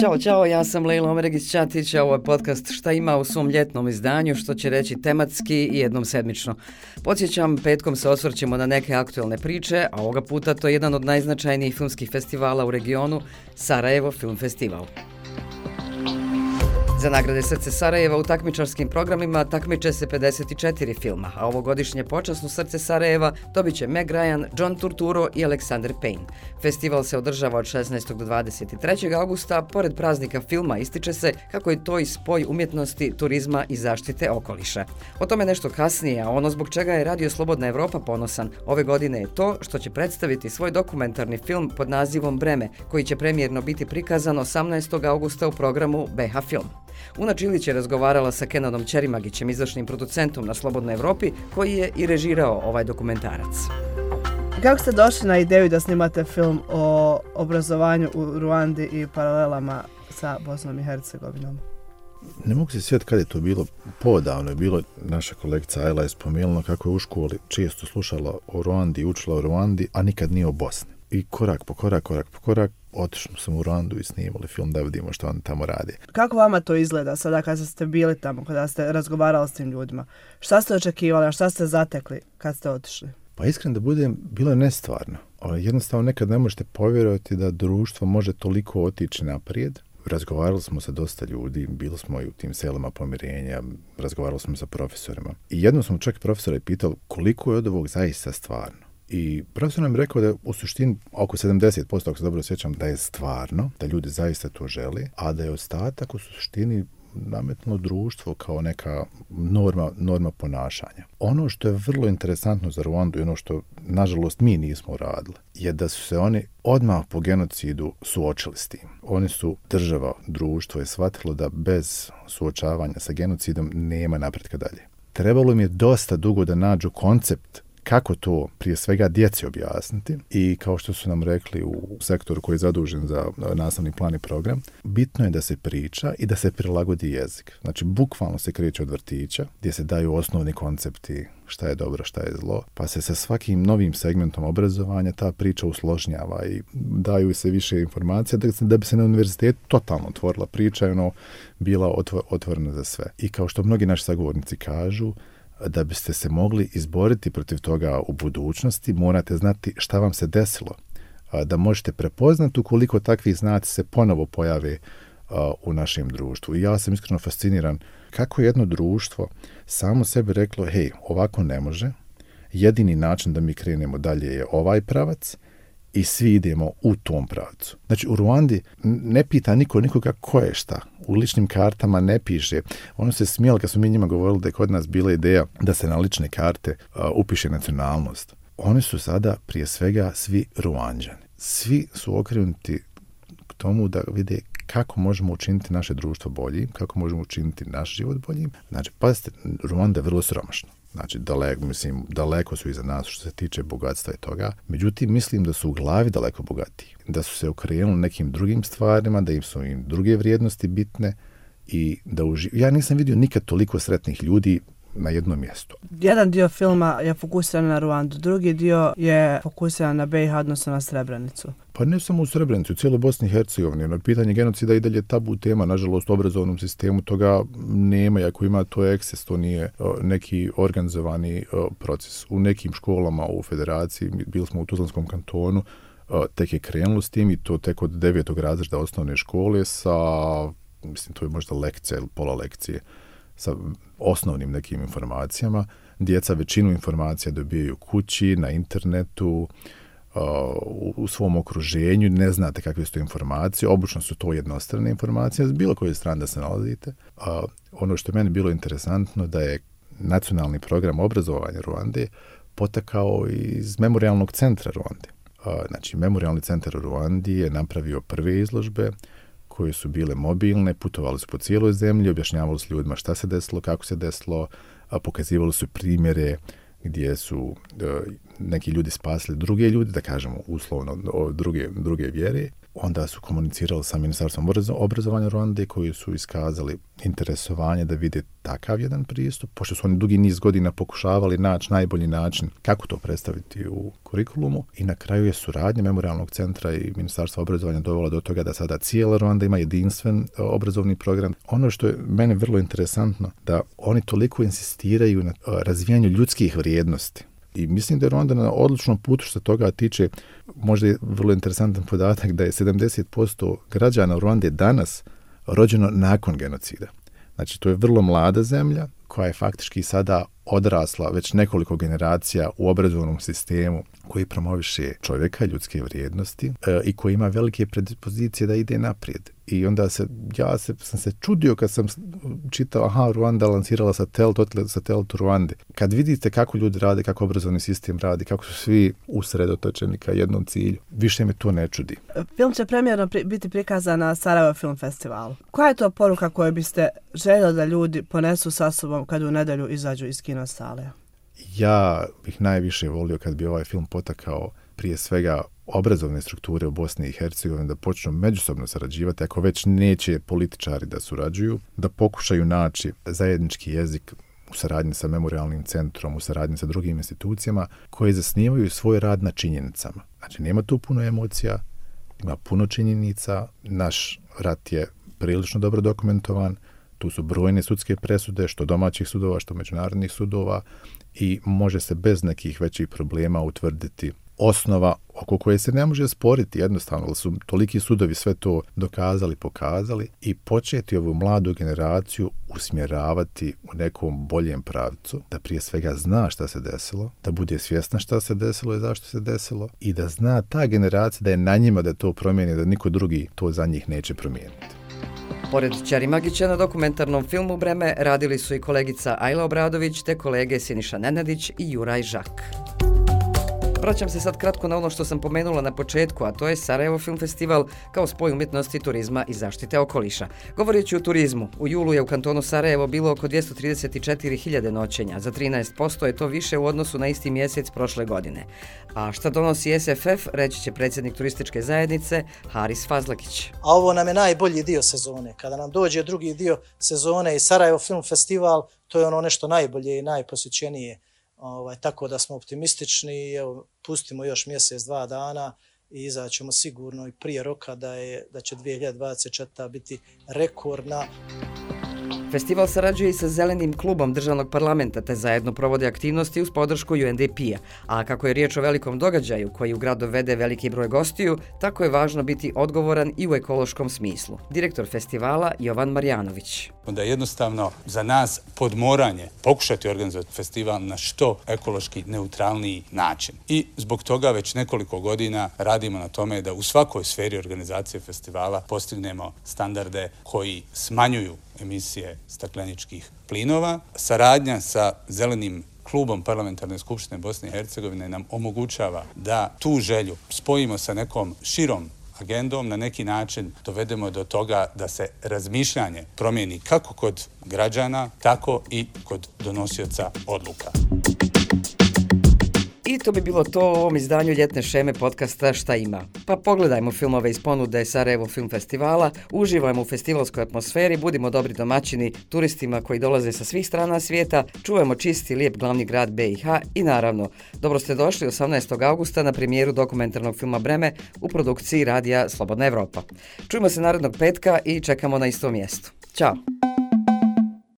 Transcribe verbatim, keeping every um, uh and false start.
Ćao, čao, ja sam Lejla Omeregić-Ćatić, a ovo je podcast Šta ima u svom ljetnom izdanju, što će reći tematski i jednom sedmično. Podsjećam, petkom se osvrćemo na neke aktualne priče, a ovoga puta to je jedan od najznačajnijih filmskih festivala u regionu, Sarajevo Film Festival. Za nagrade Srce Sarajeva u takmičarskim programima takmiče se pedeset četiri filma, a ovogodišnje počasno Srce Sarajeva dobit će Meg Ryan, John Turturro i Alexander Payne. Festival se održava od šesnaestog do dvadeset trećeg augusta. Pored praznika filma ističe se kako je to i spoj umjetnosti, turizma i zaštite okoliša. O tome nešto kasnije, a ono zbog čega je Radio Slobodna Evropa ponosan ove godine je to što će predstaviti svoj dokumentarni film pod nazivom Breme, koji će premijerno biti prikazan osamnaestog augusta u programu B H Film. Una Čilić je razgovarala sa Kenanom Ćerimagićem, izvršnim producentom na Slobodnoj Evropi, koji je i režirao ovaj dokumentarac. Kako ste došli na ideju da snimate film o obrazovanju u Ruandi i paralelama sa Bosnom i Hercegovinom? Ne mogu se sjetiti kad je to bilo, podavno je bilo, naša kolegica Ajla je spomenula kako je u školi često slušala o Ruandi, učila o Ruandi, a nikad nije o Bosni. I korak po korak, korak po korak, otišli smo u Ruandu i snimali film da vidimo što oni tamo rade. Kako vama to izgleda sada kad ste bili tamo, kada ste razgovarali s tim ljudima? Šta ste očekivali, a šta ste zatekli kad ste otišli? Pa iskreno da budem, bilo je nestvarno. Jednostavno nekad ne možete povjerovati da društvo može toliko otići naprijed. Razgovarali smo sa dosta ljudi, bili smo i u tim selima pomirenja, razgovarali smo sa profesorima. I jednom smo čak profesora i pitali koliko je od ovog zaista stvarno. I profesor nam je rekao da je u suštini oko sedamdeset posto, ako se dobro sjećam, da je stvarno, da ljudi zaista to žele, a da je ostatak u suštini nametno društvo kao neka norma, norma ponašanja. Ono što je vrlo interesantno za Ruandu i ono što, nažalost, mi nismo uradili, je da su se oni odmah po genocidu suočili s tim. Oni su, država, društvo je shvatilo da bez suočavanja sa genocidom nema napretka dalje. Trebalo im je dosta dugo da nađu koncept kako to prije svega djeci objasniti i kao što su nam rekli u sektoru koji je zadužen za nastavni plan i program, bitno je da se priča i da se prilagodi jezik. Znači, bukvalno se kreće od vrtića gdje se daju osnovni koncepti šta je dobro, šta je zlo, pa se sa svakim novim segmentom obrazovanja ta priča usložnjava i daju se više informacija da bi se na univerzitetu totalno otvorila priča i ono bila otvorena za sve. I kao što mnogi naši sagovornici kažu, da biste se mogli izboriti protiv toga u budućnosti, morate znati šta vam se desilo. Da možete prepoznati ukoliko takvi znaci se ponovo pojave u našem društvu. I ja sam iskreno fasciniran kako je jedno društvo samo sebi reklo, hej, ovako ne može, jedini način da mi krenemo dalje je ovaj pravac i svi idemo u tom pravcu. Znači, u Ruandi ne pita niko nikoga ko je šta. U ličnim kartama ne piše. Ono se smijelo kad smo mi njima govorili da je kod nas bila ideja da se na lične karte uh, upiše nacionalnost. Oni su sada prije svega svi Ruanđani. Svi su okrenuti k tomu da vide kako možemo učiniti naše društvo boljim, kako možemo učiniti naš život boljim. Znači, pazite, Ruanda je vrlo siromašna. Znači, daleko, mislim, daleko su iza nas što se tiče bogatstva i toga. Međutim, mislim da su u glavi daleko bogatiji. Da su se okrenuli nekim drugim stvarima, da im su im druge vrijednosti bitne i da uži... Ja nisam vidio nikad toliko sretnih ljudi na jednom mjestu. Jedan dio filma je fokusiran na Ruandu, drugi dio je fokusiran na B i H, odnosno na Srebrenicu. Pa ne samo u Srebrenicu, u cijeloj Bosni i Hercegovini. Ono, pitanje genocida i dalje tabu tema, nažalost, u obrazovnom sistemu toga nema, i ako ima to eksces, to nije o, neki organizovani o, proces. U nekim školama u federaciji, bili smo u Tuzlanskom kantonu, o, tek je krenulo s tim i to tek od devetog razreda osnovne škole sa, mislim, to je možda lekcija ili pola lekcije, sa osnovnim nekim informacijama. Djeca većinu informacija dobijaju kući, na internetu, u, u svom okruženju, ne znate kakve su to informacije, obično su to jednostrane informacije, s bilo koje strane da se nalazite. A, ono što je meni bilo interesantno da je nacionalni program obrazovanja Ruande potekao iz memorialnog centra Ruande. A, znači, memorialni centar u Ruandi je napravio prve izložbe koje su bile mobilne, putovali su po cijeloj zemlji, objašnjavali su ljudima šta se desilo, kako se desilo, a pokazivali su primjere gdje su uh, neki ljudi spasili druge ljudi, da kažemo uslovno druge, druge vjere. onda su komunicirali sa Ministarstvom obrazovanja Ruande koji su iskazali interesovanje da vide takav jedan pristup, pošto su oni dugi niz godina pokušavali naći najbolji način kako to predstaviti u kurikulumu i na kraju je suradnja Memorijalnog centra i Ministarstva obrazovanja dovela do toga da sada cijela Ruanda ima jedinstven obrazovni program. Ono što je meni vrlo interesantno, da oni toliko insistiraju na razvijanju ljudskih vrijednosti. I mislim da je Ruanda na odličnom putu što toga tiče. Možda je vrlo interesantan podatak da je sedamdeset posto građana Ruande danas rođeno nakon genocida. Znači, to je vrlo mlada zemlja koja je faktički sada odrasla već nekoliko generacija u obrazovnom sistemu koji promoviše čovjeka, ljudske vrijednosti e, i koji ima velike predispozicije da ide naprijed. I onda se, ja se, sam se čudio kad sam čitao, aha, Ruanda lansirala satelit, satelit u Ruande. Kad vidite kako ljudi rade, kako obrazovni sistem radi, kako su svi usredotočeni ka jednom cilju, više me to ne čudi. Film će premijerno pri, biti prikazan na Sarajevo Film Festivalu. Koja je to poruka koju biste željeli da ljudi ponesu sa sobom kad u nedjelju izađu iz kino sale? Ja bih najviše volio kad bi ovaj film potakao prije svega obrazovne strukture u Bosni i Hercegovini da počnu međusobno sarađivati, ako već neće političari da surađuju, da pokušaju naći zajednički jezik u saradnji sa Memorijalnim centrom, u saradnji sa drugim institucijama koje zasnivaju svoj rad na činjenicama. Znači, nema tu puno emocija, ima puno činjenica, naš rat je prilično dobro dokumentovan, tu su brojne sudske presude, što domaćih sudova, što međunarodnih sudova i može se bez nekih većih problema utvrditi osnova oko koje se ne može sporiti jednostavno, ali su toliki sudovi sve to dokazali, pokazali i početi ovu mladu generaciju usmjeravati u nekom boljem pravcu, da prije svega zna šta se desilo, da bude svjesna šta se desilo i zašto se desilo i da zna ta generacija da je na njima da to promijeni, da niko drugi to za njih neće promijeniti. Pored Ćari Magića na dokumentarnom filmu Breme radili su i kolegica Ajla Obradović te kolege Siniša Nenadić i Juraj Žak. Vraćam se sad kratko na ono što sam pomenula na početku, a to je Sarajevo Film Festival kao spoj umjetnosti, turizma i zaštite okoliša. Govoreći o turizmu, u julu je u kantonu Sarajevo bilo oko dvjesto trideset četiri hiljade noćenja, za trinaest posto je to više u odnosu na isti mjesec prošle godine. A šta donosi S F F, reći će predsjednik turističke zajednice Haris Fazlakić. A ovo nam je najbolji dio sezone. Kada nam dođe drugi dio sezone i Sarajevo Film Festival, to je ono nešto najbolje i najposjećenije. Ovaj, tako da smo optimistični, evo, pustimo još mjesec, dva dana i izaćemo sigurno i prije roka da, je, da će dvije hiljade dvadeset četvrta biti rekordna. Festival sarađuje i sa Zelenim klubom državnog parlamenta te zajedno provode aktivnosti uz podršku U N D P-a. A kako je riječ o velikom događaju koji u grad dovede veliki broj gostiju, tako je važno biti odgovoran i u ekološkom smislu. Direktor festivala Jovan Marjanović. Onda je jednostavno za nas podmoranje pokušati organizovati festival na što ekološki neutralniji način. I zbog toga već nekoliko godina radimo na tome da u svakoj sferi organizacije festivala postignemo standarde koji smanjuju emisije stakleničkih plinova. Saradnja sa Zelenim klubom Parlamentarne skupštine Bosne i Hercegovine nam omogućava da tu želju spojimo sa nekom širom agendom, na neki način dovedemo do toga da se razmišljanje promijeni kako kod građana, tako i kod donosioca odluka. I to bi bilo to u ovom izdanju ljetne šeme podcasta Šta ima. Pa pogledajmo filmove iz ponude Sarajevo Film Festivala, uživajmo u festivalskoj atmosferi, budimo dobri domaćini turistima koji dolaze sa svih strana svijeta, čuvajmo čisti, lijep glavni grad B i H i naravno, dobro ste došli osamnaestog augusta na premijeru dokumentarnog filma Breme u produkciji radija Slobodna Evropa. Čujemo se narednog petka i čekamo na istom mjestu. Ćao!